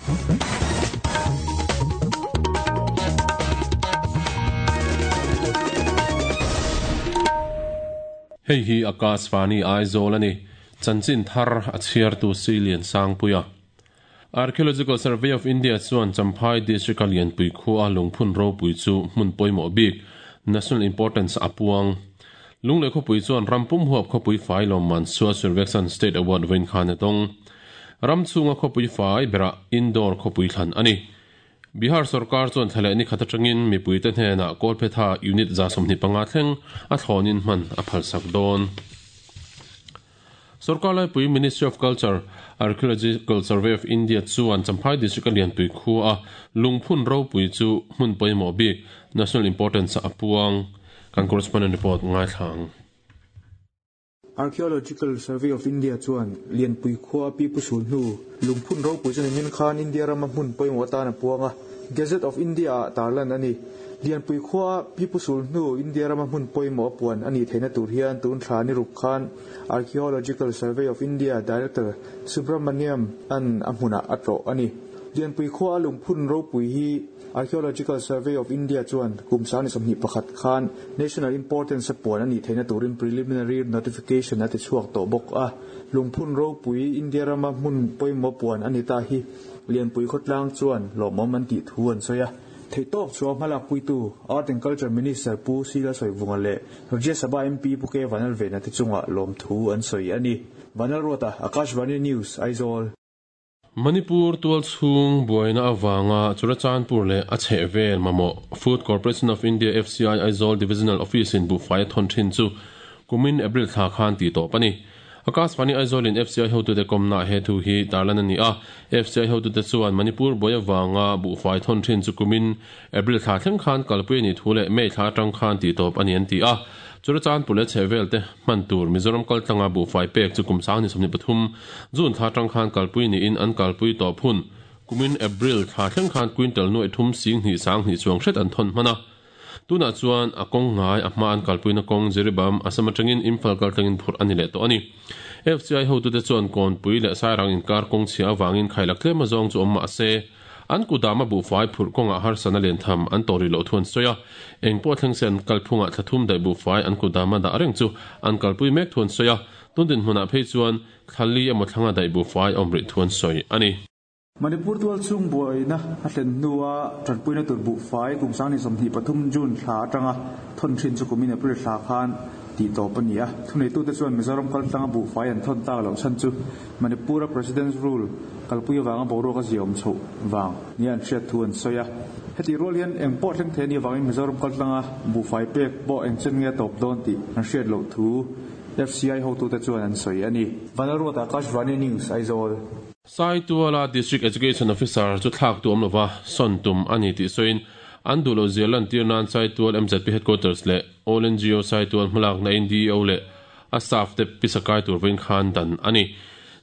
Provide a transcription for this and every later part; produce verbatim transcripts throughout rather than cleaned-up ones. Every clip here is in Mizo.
Hei hi Akashvani Aizawl ani chanchin thar a chhiar tu Silian Sangpuia. Archaeological Survey of India chuan Champhai District Lianpui khua lungphun ropui chu hmun pawimawh bik national importance apuang lungle khawpui chuan rampum huap khawpui fai lawmman Swachh Survekshan State Award vawiin khan a tawng ram chhunga khawpui fai bera indoor khawpui thlan ani. Bihar sarkar chuan thlale ni khat atangin mipui te hnenah Kolpetha unit za sawmhnih panga thleng a thlawnin hman a phalsak dawn. Sarkar laipui Ministry of Culture Archaeological Survey of India chuan Champhai District Lianpui khua lungphun ropui chu hmun pawimawh bik national importance a puang kan correspondent report ngai thlang. Archaeological Survey of India chuan Lianpui khua pi pusul hnu lungphun ropui chuan min khan India rama hmun pawimawh atan a puanga Gazette of India tarlan ani. Lianpui khua pi pusul hnu India rama hmun pawimawh puan ani theina tur hian tun thla ni rup khan Archaeological Survey of India Director Subramaniam an a hmuna a tawh ani. Lianpui khua lungphun ropui hi Archaeological Survey of India chuan kum sang ni sawmhnih pakhat khan national importance puan ani theina turin preliminary notification a ti chhuak tawh bawk a. Lungphun ropui India rama hmun pawimawh puan ani ta hi Lianpui khawtlang chuan lawmawm an tih thu an sawi a. Theitawk chuan hmalak puitu Art and Culture Minister Pu Sila Sawivunga leh Rajya Sabha M P Pu K Vanlalvena te chungah lawm thu an sawi ani. Vanlalruata, Akashvani News, Aizawl. Manipur tual chhung buaina awanga Churachandpur leh a chhehvel mamawh Food Corporation of India F C I Aizawl Divisional Office in buhfai a thawn thin chu kumin April thla khan ti tawp ani. Akashvani Aizawl in F C I hotu te kawmna he thu hi tarlan ani a. F C I hotu te chuan Manipur buai awanga buhfai thawn thin chu kumin April thla thleng khan kalpui ani thu leh May thla atang khan ti tawp ani an ti a. Churachandpur leh chhehvel te hman tur Mizoram kaltlanga buhfai pek chu kum sang ni sawmhnih pathum June thla atang khan kalpui niin an kalpui tawp hun kumin April thla thleng khan quintal nuai thum sing hnih sang hnih chuang hret an thawn hman a. Tuna chuan a kawng ngai a hma an kalpuina kawng Jiribam Assam atangin Imphal kaltlangin phurh ani leh tawh ani. F C I hotu te chuan kawnpui leh sairang inkar kawng chhia awangin khailak tlem azawng chu awm mah se an kudama buhfai phurh kawngah harsana len tham an tawri loh thu an sawi a. Engpawh thleng se an kalphungah thlathum daih buhfai an kudama dah reng chu an kalpui mek thu an sawi a. Tundin hmunah phei chuan thlali emaw thlanga daih buhfai awm rih thu an sawi ani. Manipur tual chung buaina a thlen hnua tanpuina tur buhfai kum sang ni sawmhnih pathum June thla atanga thawn thin chu kumin April thla khan ti tawp ani a. Thuneitu te chuan Mizoram kaltlanga buhfai an thawn tak loh chhan chu Manipura President's Rule kalpui awanga boruak a ziawm chhoh wang ni an hriat thu an sawi a. Heti rual hian engpawh thleng thei ani awangin Mizoram kaltlanga buhfai pek pawh engchen nge tawp dawn tih an hriat loh thu F C I hotu te chuan an sawi ani. Vanlalruata, Akashvani News, Aizawl. Saituala District Education Officer chu thlak tu awm lova sawn tum ani tih sawiin an duh loh zia lan tir nan Saitual M Z P Headquarters leh All N G O Saitual hmalak na in D E O leh a staff te pisakai tur vawiin khan dan ani.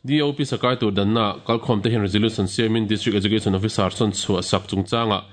D E O pisakai tur danna kalkhawm te hian resolution siamin District Education Officer sawn chhuah sak chungchanga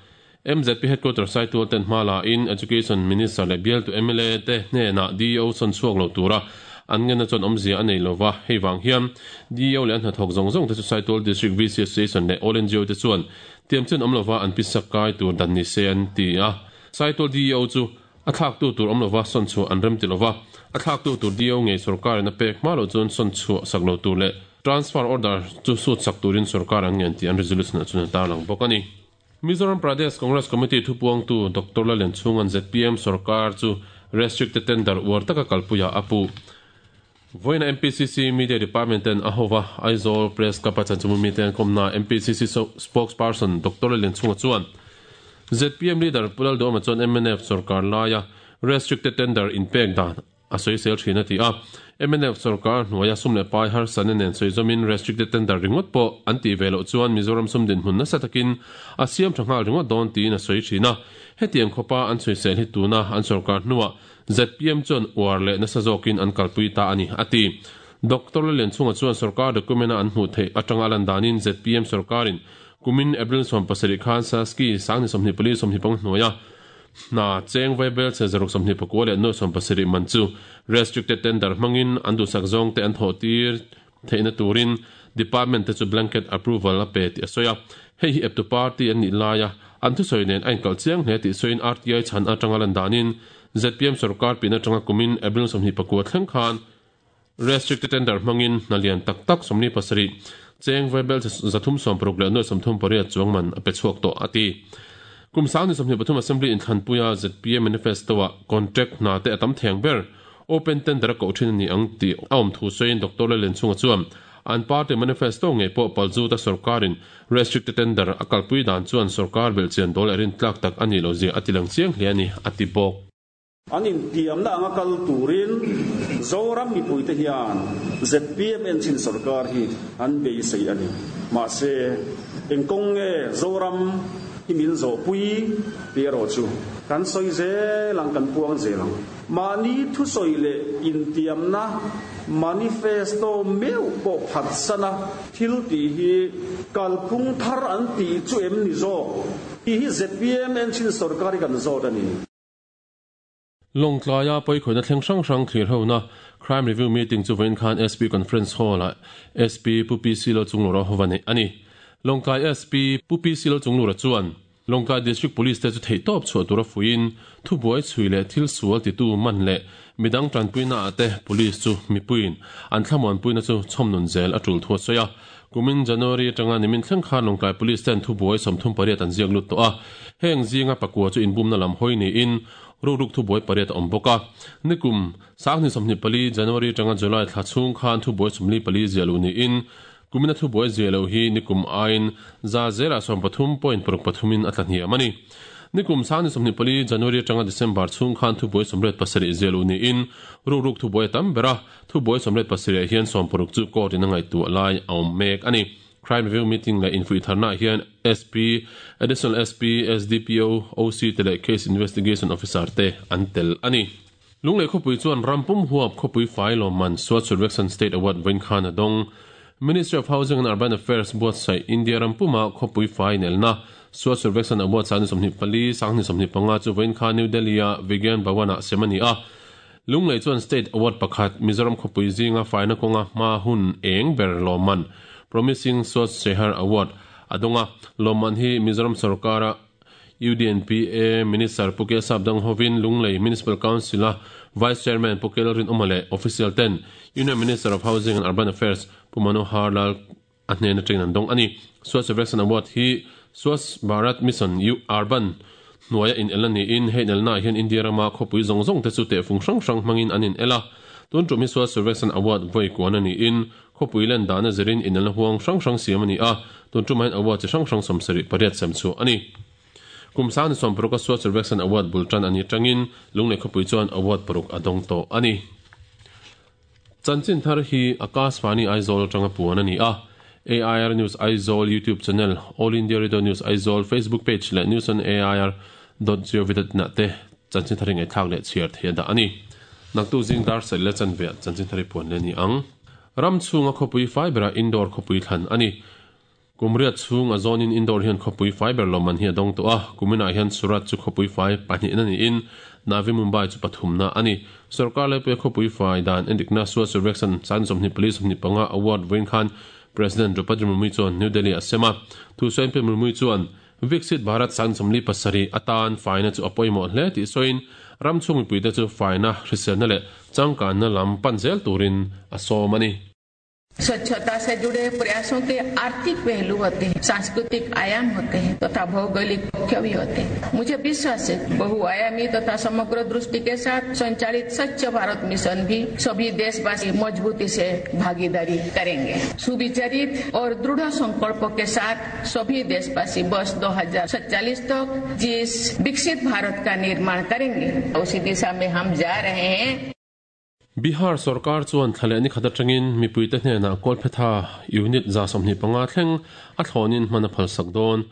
M Z P Headquarters Saitual ten hmala in Education Minister leh bial tu M L A te hnenah D E O sawn chhuak lo tura an ngena chuan awmzia a nei lova hei wang hian D E O leh an hnathawk zawng zawng te chu Saitual District V C Association leh All N G O te chuan tiam chen awm lova an pisakai tur dan ni se an ti a. Saitual D E O chu a thlak tu tur awm lova sawn chhuah an rem ti lova a thlak tu tur D E O ngei sarkar in a pek hma lo chuan sawn chhuah sak lo tur leh transfer order chu sut sak turin sarkar an ngen ti an resolution a chuan a tarlang bawk ani. Mizoram Pradesh Congress Committee thupuang tu Doctor Lalen Chhungan Z P M sarkar chu restricted tender uar taka kalpuia apu. Voina M P C C Media Department ten ahova Aizawl Press Club a chanchumu mi ten komna M P C C spokesperson Doctor Lalen Chhunga chuan Z P M leader Pulal Doma chuan M N F sarkar laia restricted tender in pek dan a sawi sel thin a ti a. M N F sarkar hnuaia sum leh pai har san nen sawi zawmin restricted tender ringawt pawh an ti ve loh chuan Mizoram sum din hmun nasa takin a siam tha nghal ringawt dawn tiin a sawi thin a. Hetiang khawpa an sawi sel hi tuna an sarkar hnuah Z P M chuan uar leh nasa zawkin an kalpui ta ani ati. Doctor Lalen Chhunga chuan sarkar document a an hmuh theih atanga lan danin Z P M sarkarin kumin April sawm pasarih khan Saski sangni sawmhnih pali sawmhnih pang hnuaia na cheng vaibel che zaruk sawmhnih pakua leh nuai sawm pasarih man chu restricted tender hmangin an duhsak zawng te an thawh tir theihna turin department te chu blanket approval a pe tih a sawi a. Hei hi eptu party an nih laia an thusawi nen a inkalh chiang hle tih sawiin R T I chhan atanga lan danin Z P M sorkar pin atanga kumin April sawmhnih pakua thleng khan restricted tender hmangin hna lian tak tak sawmli pasarih cheng vaibel zathum sawm paruk leh nuai sawmthum pariat chuang man a pe chhuak tawh a ti. Kum sang ni sawmhnih pathum assembly inthlanpuia Z P M manifesto ah contract hna te a tam theng ber open tender a koh thin a ni ang tih a awm thu sawiin Doctor Lallianchhunga chuan an party manifesto ngei pawh palzuta sorkarin restricted tender a kalpui dan chuan sorkar belhchian dawl leh rintlak tak a nih loh zia a ti lang chiang hle a ni a ti bawk. An intiamna anga kal turin Zoram mipuite hian Z P M enchin sarkar hi an beisei a ni. Mahse, engkawng nge Zoram hi min zawhpui tih erawh chu kan sawi zel ang, kan puang zel ang. Mahni thusawi leh intiamna manifesto meuh pawh phatsana thil tih hi kalphung thar an tih chu em ni zawk tih hi Z P M enchin sarkar hi kan zawt a ni. Lawngtlaia pawikhawihnna thleng hrang hrang thlir hona Crime Review Meeting chu vawiin khan S P Conference Hall-ah S P Pu P C Lo Chunglura hova neih a ni. Lawngtlai S P Pu P C Lo Chunglura chuan Lawngtlai District Police te chu theihtawp chhuah tura fuiin thubuai chhui leh thil sual titu man leh midang tanpuina ah te police chu mipuiin an thlamuanpuina chu chhawmnun zel a tul thu a sawi a. Kumin January atanga nimin thleng khan Lawngtlai Police ten thubuai sawmthum pariat an ziak lut tawh a. Heng zinga pakua chu inbumna lam hawi niin ruk ruk thubuai pariat a awm bawk a. Nikum sanghnih sawmhnih pali January atanga July thla chhung khan thubuai sawmli pali ziah lo niin kumina thubuai ziah lo hi nikum aiin za zela sawm pathum point paruk pathumin a tla hniam a ni. Nikum sanghnih sawmhnih pali January atanga December chhung khan thubuai sawmriat pasarih ziah lo niin ruk ruk thubuai tam ber a. Thubuai sawmriat pasarih hian sawm paruk chu court in a ngaihtuah lai a awm mek a ni. Crime Review Meeting leh infuih tharna hian S P, Additional S P, S D P O, O C te leh Case Investigation Officer te an tel a ni. Lunglei khawpui chuan rampum huap khawpui fai lawmman Swachh Survekshan State Award vawiin khan a dawng. Ministry of Housing and Urban Affairs buatsaih India rampuma khawpui fai nelna Swachh Survekshan Award sanghnih sawmhnih pali, sanghnih sawmhnih panga chu vawiin khan New Delhi-a Vigyan Bhawan-ah sem a ni a. Lunglei chuan State Award pakhat Mizoram khawpui zinga faina kawnga hma hun eng ber lawmman Promising Swachh Shehar Award a dawnga. Lawmman hi Mizoram sarkara U D N P A Minister Pu K Sapdang hovin Lunglei Municipal Council-a Vice Chairman Pu K Lalrin Awma leh Official ten Union Minister of Housing and Urban Affairs Pu Manohar Lal a hnen atangin an dawng a ni. Swachh Survekshan Award hi Swachh Bharat Mission U Urban hnuaia in el a niin hei nelna hian India rama khawpui zawng zawng te chu tehfung hrang hrang hmangin an in el a. Tun tum hi Swachh Survekshan Award vawi kuan a niin khawpui len dana zirin in elna huang hrang hrang siam a ni a. Tun tum hian award chi hrang hrang sawmsarih pariat sem chu a ni. Kum sanghnih sawm paruk a Swachh Survekshan Award bul tan a ni tangin Lunglei khawpui chuan award paruk a dawng tawh a ni. Chanchin thar hi Akashvani Aizawl atanga puan a ni a. A I R News Aizawl YouTube channel, All India Radio News Aizawl Facebook page leh news on A I R dot gov dot in te chanchin thar ngai thlak leh chhiar thei a dah a ni. Naktu zing dar sel le chanve chanchin thari puan le ni ang. Ram chhunga khawpui fiber a indoor khawpui thlan a ni. Kumriat chhung a zawnin indoor hian khawpui fiber lawmman hi a dawng tawh a. Kumina hian Surat chu khawpui fai pahnih na niin Navi Mumbai chu pathumna a ni. Sarkar le pe khawpui fai dan endikna Swachh Survekshan san sawmhnih pali sawmhnih panga award vawiin khan President Draupadi Murmu chuan New Delhi a sem a. Thu sawiin pe Murmu chuan Viksit Bharat san sawmli pasarih atan faina chu a pawimawh hle tih sawiin ram chhung mipuite chu faina hriselna leh changkanna lam pan zel turin a sawm a ni. स्वच्छता से जुड़े प्रयासों के आर्थिक पहलू होते हैं, सांस्कृतिक आयाम होते हैं तथा भौगोलिक पक्ष भी होते हैं। मुझे विश्वास है बहुआयामी तथा समग्र दृष्टि के साथ संचालित स्वच्छ भारत मिशन भी सभी देशवासी मजबूती से भागीदारी करेंगे। सुविचारित और दृढ़ संकल्प के साथ सभी देशवासी वर्ष दो हजार सत्ताईस तक जिस विकसित भारत का निर्माण करेंगे उसी दिशा में हम जा रहे हैं। Bihar sarkar chuan thlale ni khata tangin mipuite hnena Kolphetha unit za sawmhnih panga thleng a thlawnin hman a phal sak dawn.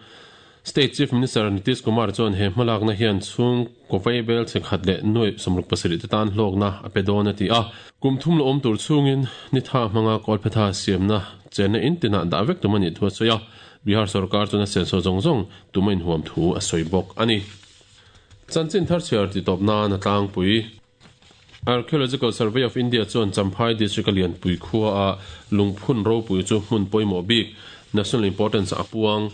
State Chief Minister Nitish Kumar chuan he hmalakna hian chhung kawvei bel chekhat leh nuai sawmruk pasarih te tan hlawkna a pe dawn a ti a. Kum thum lo awm tur chhungin ni tha hmanga Kolphetha siamna chenna in tinah dah vek tum a nih thu a sawi a. Bihar sarkar chuan a senso zawng zawng tuma inhuam thu a sawi bawk a ni. Chanchin thar chhiar ti tawp nan a tlangpui. Archaeological Survey of India chuan Champhai District a Lianpui khua a lungphun ropui chu hmun pawimawh bik national importance a puang.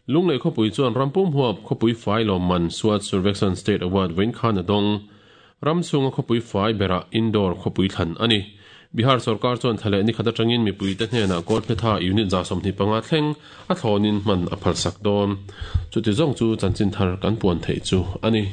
Lunglei khawpui chuan rampum huap khawpui fai lawmman Swachh Survekshan State Award vawiin khan a dawng. Ram chhunga khawpui fai berah indoor khawpui thlan a ni. Bihar sorkar chuan thla leh ni khat atangin mipuite hnenah kawlphetha unit za sawmhnih panga thleng a thlawnin hman a phalsak dawn. Chuti zawng chu chanchin thar kan puan theih chu a ni.